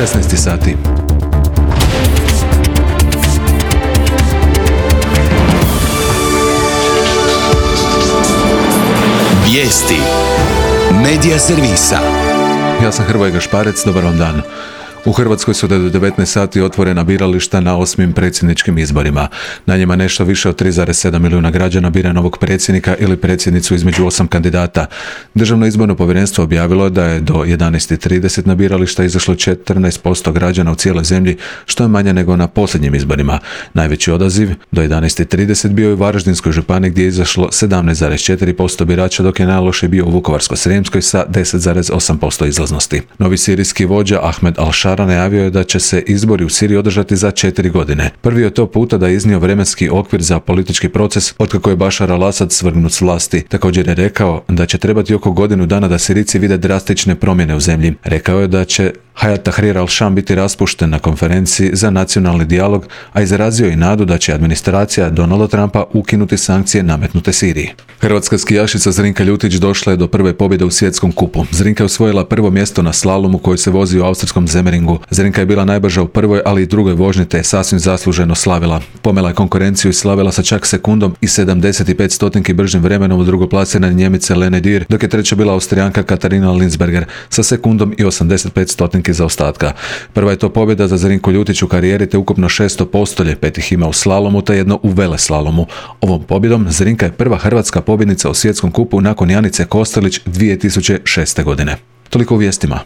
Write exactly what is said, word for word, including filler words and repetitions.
šesnaest sati. Vijesti Medija servisa. Ja sam Hrvoje Gašparec, dobar vam dan. U Hrvatskoj su do devetnaest sati otvorena birališta na osmim predsjedničkim izborima. Na njima nešto više od tri zarez sedam milijuna građana bira novog predsjednika ili predsjednicu između osam kandidata. Državno izborno povjerenstvo objavilo da je do jedanaest trideset na birališta izašlo četrnaest posto građana u cijeloj zemlji, što je manje nego na posljednjim izborima. Najveći odaziv do jedanaest trideset bio je u Varaždinskoj županiji gdje je izašlo sedamnaest zarez četiri posto birača, dok je najlošiji bio u Vukovarsko-srijemskoj sa deset zarez osam posto izlaznosti. Novi sirijski vođa Ahmed al-Šara najavio je da će se izbori u Siriji održati za četiri godine. Prvi je to puta da je iznio vremenski okvir za politički proces otkako je Bašar al-Asad svrgnut s vlasti. Također je rekao da će trebati oko godinu dana da Sirijci vide drastične promjene u zemlji. Rekao je da će Hayat Tahrir al-Sham biti raspušten na konferenciji za nacionalni dijalog, a izrazio i nadu da će administracija Donalda Trumpa ukinuti sankcije nametnute Siriji. Hrvatska skijašica Zrinka Ljutić došla je do prve pobjede u svjetskom kupu. Zrinka je osvojila prvo mjesto na slalomu koji se vozi u austrijskom Zemeringu. Zrinka je bila najbrža u prvoj, ali i drugoj vožnji te je sasvim zasluženo slavila. Pomela je konkurenciju i slavila sa čak sekundom i sedamdeset pet stotinki bržim vremenom u drugoplasirane Njemice Lene Dürr, dok je treća bila Austrijanka Katarina Linsberger sa sekundom i osamdeset pet stotinki zaostatka. Prva je to pobjeda za Zrinku Ljutić u karijeri te ukupno šesto postolje, pet ih ima u slalomu te jedno u veleslalomu. Ovom pobjedom Zrinka je prva hrvatska pobjednica u svjetskom kupu nakon Janice Kostelić dvije tisuće šeste godine. Toliko u vijestima.